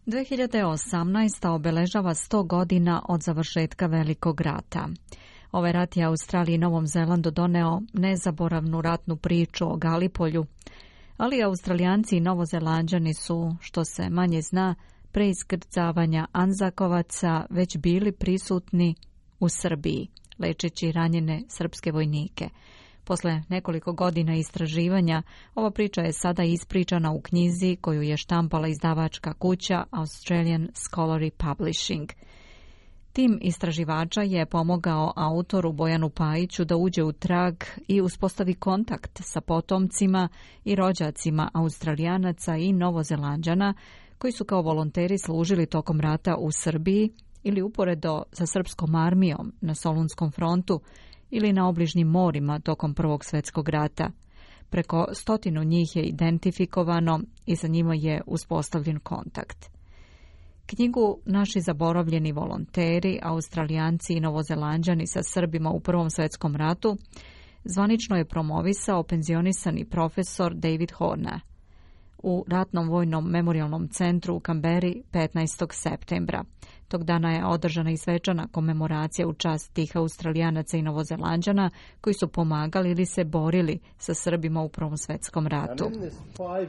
2018. obeležava 100 godina od završetka Velikog rata. Ovaj rat je Australiji i Novom Zelandu doneo nezaboravnu ratnu priču o Galipolju, ali Australijanci i Novozelanđani su, što se manje zna, pre iskrcavanja Anzakovaca već bili prisutni u Srbiji, lečeći ranjene srpske vojnike. Posle nekoliko godina istraživanja, ova priča je sada ispričana u knjizi koju je štampala izdavačka kuća Australian Scholarly Publishing. Tim istraživača je pomogao autoru Bojanu Pajiću da uđe u trag i uspostavi kontakt sa potomcima i rođacima Australijanaca i Novozelanđana koji su kao volonteri služili tokom rata u Srbiji ili uporedo sa srpskom armijom na Solunskom frontu ili na obližnjim morima tokom Prvog svjetskog rata. Preko 100 njih je identifikovano i sa njima je uspostavljen kontakt. Knjigu Naši zaboravljeni volonteri, Australijanci i Novozelanđani sa Srbima u Prvom svjetskom ratu zvanično je promovisao penzionisani profesor David Horner u Ratnom vojnom memorialnom centru u Kamberi 15. septembra. Tog dana je održana i svečana komemoracija u čast tih Australijanaca i Novozelanđana koji su pomagali ili se borili sa Srbima u Prvom svjetskom ratu. 100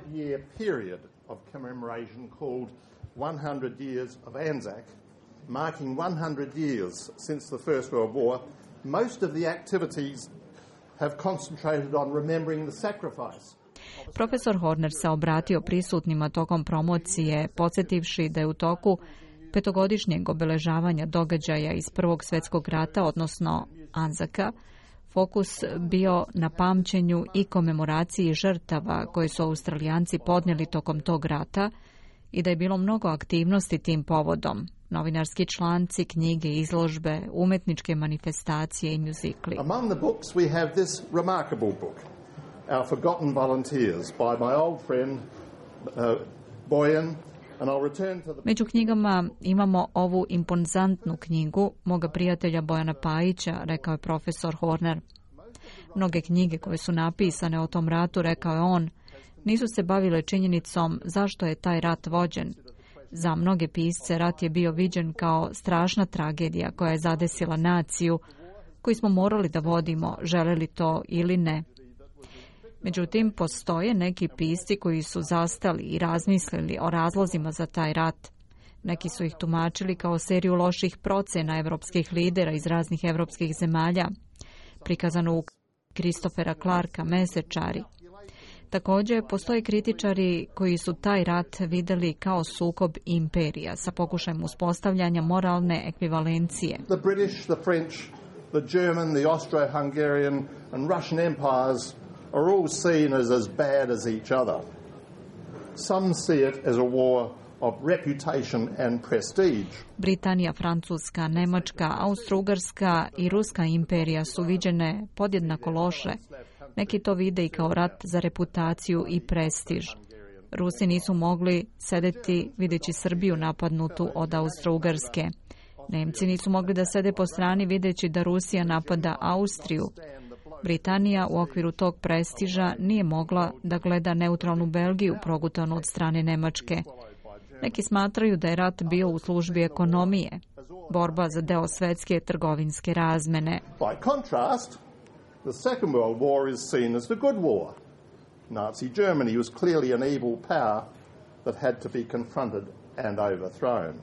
years of Anzac, marking 100 years since the First World War, most of the activities have concentrated on remembering the sacrifice. Profesor Horner se obratio prisutnima tokom promocije, podsjetivši da je u toku petogodišnjeg obeležavanja događaja iz Prvog svjetskog rata, odnosno Anzaka, fokus bio na pamćenju i komemoraciji žrtava koje su Australijanci podnijeli tokom tog rata i da je bilo mnogo aktivnosti tim povodom. Novinarski članci, knjige, izložbe, umetničke manifestacije i muzikli. Among the books we have this remarkable book, Our Forgotten Volunteers, by my old friend Boyan. Među knjigama imamo ovu impozantnu knjigu moga prijatelja Bojana Pajića, rekao je profesor Horner. Mnoge knjige koje su napisane o tom ratu, rekao je on, nisu se bavile činjenicom zašto je taj rat vođen. Za mnoge pisce rat je bio viđen kao strašna tragedija koja je zadesila naciju, koju smo morali da vodimo, želeli to ili ne. Međutim, postoje neki pisci koji su zastali i razmislili o razlozima za taj rat. Neki su ih tumačili kao seriju loših procena evropskih lidera iz raznih evropskih zemalja, prikazano u Christophera Clarka Mesečari. Također, postoje kritičari koji su taj rat vidjeli kao sukob imperija sa pokušajem uspostavljanja moralne ekvivalencije. The British, the French, the German, the Austro-Hungarian and Russian empires are all seen as bad as each other. Some see it as a war of reputation and prestige. Britanija, Francuska, Nemačka, Austro-Ugarska i Ruska imperija su viđene podjednako loše. Neki to vide i kao rat za reputaciju i prestiž. Rusi nisu mogli sedeti videći Srbiju napadnutu od Austro-Ugarske. Nemci nisu mogli da sede po strani videći da Rusija napada Austriju. Britanija u okviru tog prestiža nije mogla da gleda neutralnu Belgiju progutanu od strane Nemačke. Neki smatraju da je rat bio u službi ekonomije, borba za deo svetske trgovinske razmene. By contrast, the Second World War is seen as the good war. Nazi Germany was clearly an evil power that had to be confronted and overthrown.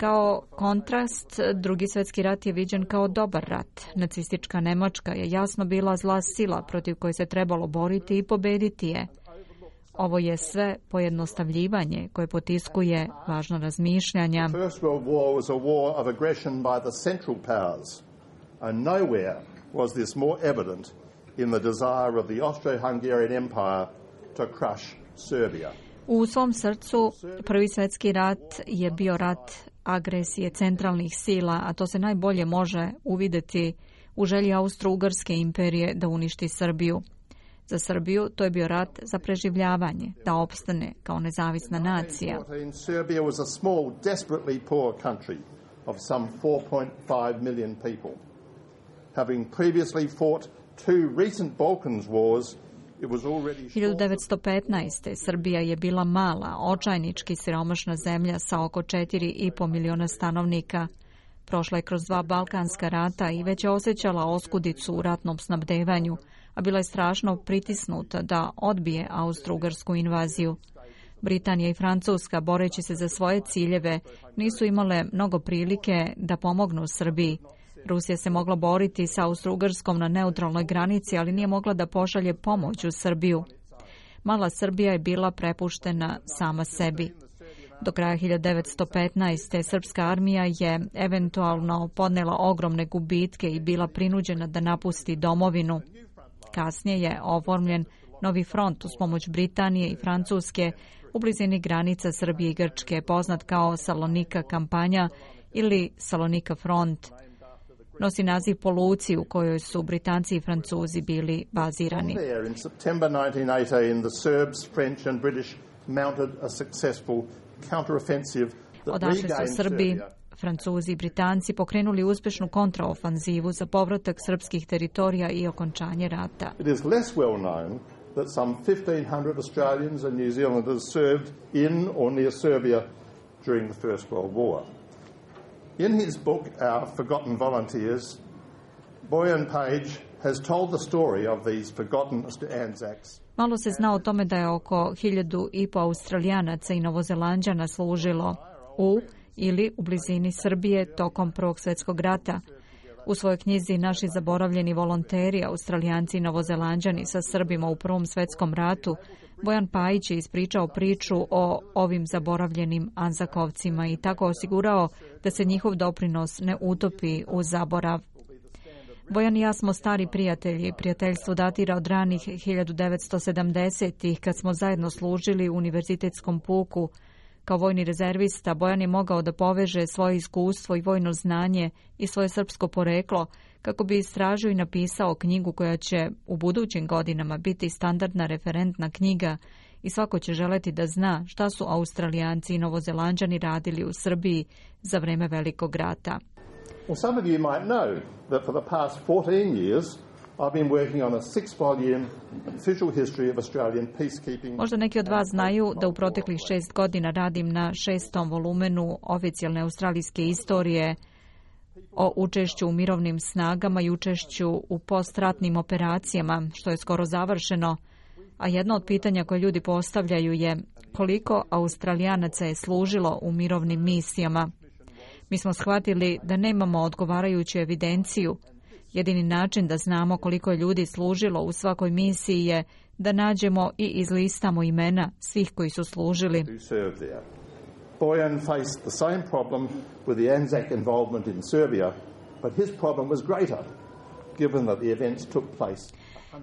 Kao kontrast, Drugi svjetski rat je viđen kao dobar rat. Nacistička Nemačka je jasno bila zla sila protiv koje se trebalo boriti i pobediti je. Ovo je sve pojednostavljivanje koje potiskuje važno razmišljanja. First World War was a war of aggression by the Central Powers, and nowhere was this more evident in the desire of the Austro-Hungarian Empire to crush Serbia. U svom srcu Prvi svjetski rat je bio rat agresije centralnih sila, a to se najbolje može uvidjeti u želji Austro-Ugarske imperije da uništi Srbiju. Za Srbiju to je bio rat za preživljavanje, da opstane kao nezavisna nacija. Serbia was a small, desperately poor country of some 4.5 million people. Having previously fought two recent Balkans wars 1915. Srbija je bila mala, očajnički siromašna zemlja sa oko 4,5 miliona stanovnika. Prošla je kroz 2 balkanska rata i već je osjećala oskudicu u ratnom snabdevanju, a bila je strašno pritisnuta da odbije austro-ugarsku invaziju. Britanija i Francuska, boreći se za svoje ciljeve, nisu imale mnogo prilike da pomognu Srbiji. Rusija se mogla boriti sa Austro-Ugarskom na neutralnoj granici, ali nije mogla da pošalje pomoć u Srbiju. Mala Srbija je bila prepuštena sama sebi. Do kraja 1915. srpska armija je eventualno podnela ogromne gubitke i bila prinuđena da napusti domovinu. Kasnije je oformljen novi front uz pomoć Britanije i Francuske u blizini granica Srbije i Grčke, poznat kao Salonika kampanja ili Salonika front. Nosi naziv po luci u kojoj su Britanci i Francuzi bili bazirani. Odatle su Srbi, Francuzi i Britanci pokrenuli uspešnu kontraofanzivu za povratak srpskih teritorija i okončanje rata. It is less well known that some 1,500 Australians and New Zealanders served in or near Serbia during the First World War. In his book, Our Forgotten Volunteers, Bojan Page has told the story of these forgotten Anzacs. Malo se zna o tome da je oko 1.500 Australijanaca i Novozelanđana služilo u ili u blizini Srbije tokom Prvog svjetskog rata. U svojoj knjizi Naši zaboravljeni volonteri, Australijanci i Novozelanđani sa Srbima u Prvom svjetskom ratu, Bojan Pajić je ispričao priču o ovim zaboravljenim Anzakovcima i tako osigurao da se njihov doprinos ne utopi u zaborav. Bojan i ja smo stari prijatelji. Prijateljstvo datira od ranih 1970-ih kad smo zajedno služili u univerzitetskom puku. Kao vojni rezervista, Bojan je mogao da poveže svoje iskustvo i vojno znanje i svoje srpsko poreklo kako bi istražio i napisao knjigu koja će u budućim godinama biti standardna referentna knjiga i svako će želeti da zna šta su Australijanci i Novozelanđani radili u Srbiji za vreme Velikog rata. Well, some of you might know that for the past 14 years I've been working on a 6-volume official history of Australian peacekeeping. Možda neki od vas znaju da u proteklih 6 godina radim na 6. volumenu oficijalne australijske istorije o učešću u mirovnim snagama i učešću u postratnim operacijama, što je skoro završeno. A jedno od pitanja koje ljudi postavljaju je koliko Australijanaca je služilo u mirovnim misijama. Mi smo shvatili da nemamo odgovarajuću evidenciju. Jedini način da znamo koliko je ljudi služilo u svakoj misiji je da nađemo i izlistamo imena svih koji su služili. Bojan faced the same problem with the Anzac involvement in Serbia, but his problem was greater, given that the events took place.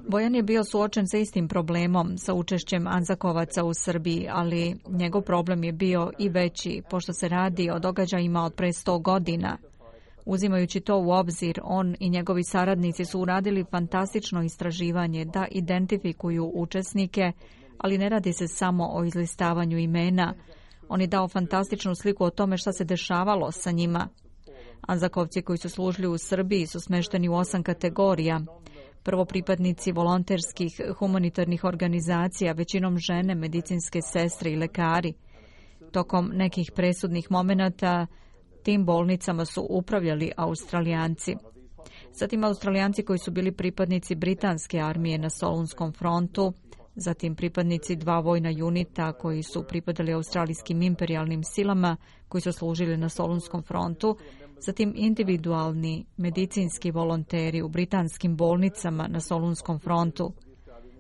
Bojan je bio suočen sa istim problemom sa učešćem Anzakovaca u Srbiji, ali njegov problem je bio i veći, pošto se radi o događajima od pre 100 godina. Uzimajući to u obzir, on i njegovi saradnici su uradili fantastično istraživanje da identifikuju učesnike, ali ne radi se samo o izlistavanju imena. On je dao fantastičnu sliku o tome šta se dešavalo sa njima. Anzakovci koji su služili u Srbiji su smešteni u 8 kategorija. Prvo pripadnici volonterskih humanitarnih organizacija, većinom žene, medicinske sestre i lekari. Tokom nekih presudnih momenata tim bolnicama su upravljali Australijanci. Zatim Australijanci koji su bili pripadnici britanske armije na Solunskom frontu, zatim pripadnici 2 vojna junita koji su pripadali australijskim imperijalnim silama koji su služili na Solunskom frontu, zatim individualni medicinski volonteri u britanskim bolnicama na Solunskom frontu,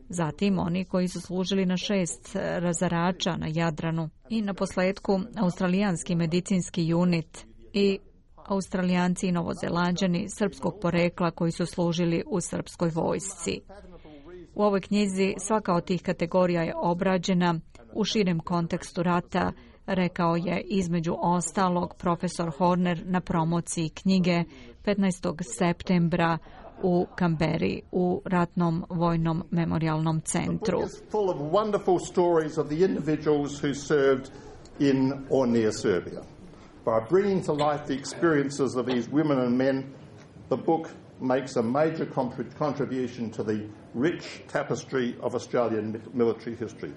zatim oni koji su služili na 6 razarača na Jadranu i na posledku australijanski medicinski unit i Australijanci i Novozelanđani srpskog porekla koji su služili u srpskoj vojsci. U ovoj knjizi svaka od tih kategorija je obrađena u širem kontekstu rata, rekao je između ostalog profesor Horner na promociji knjige 15. septembra u Kamberi u Ratnom vojnom memorialnom centru. Full of wonderful stories of the individuals who served in or near Serbia. By bringing to life the experiences of these women and men, the book makes a major contribution to the rich tapestry of Australian military history.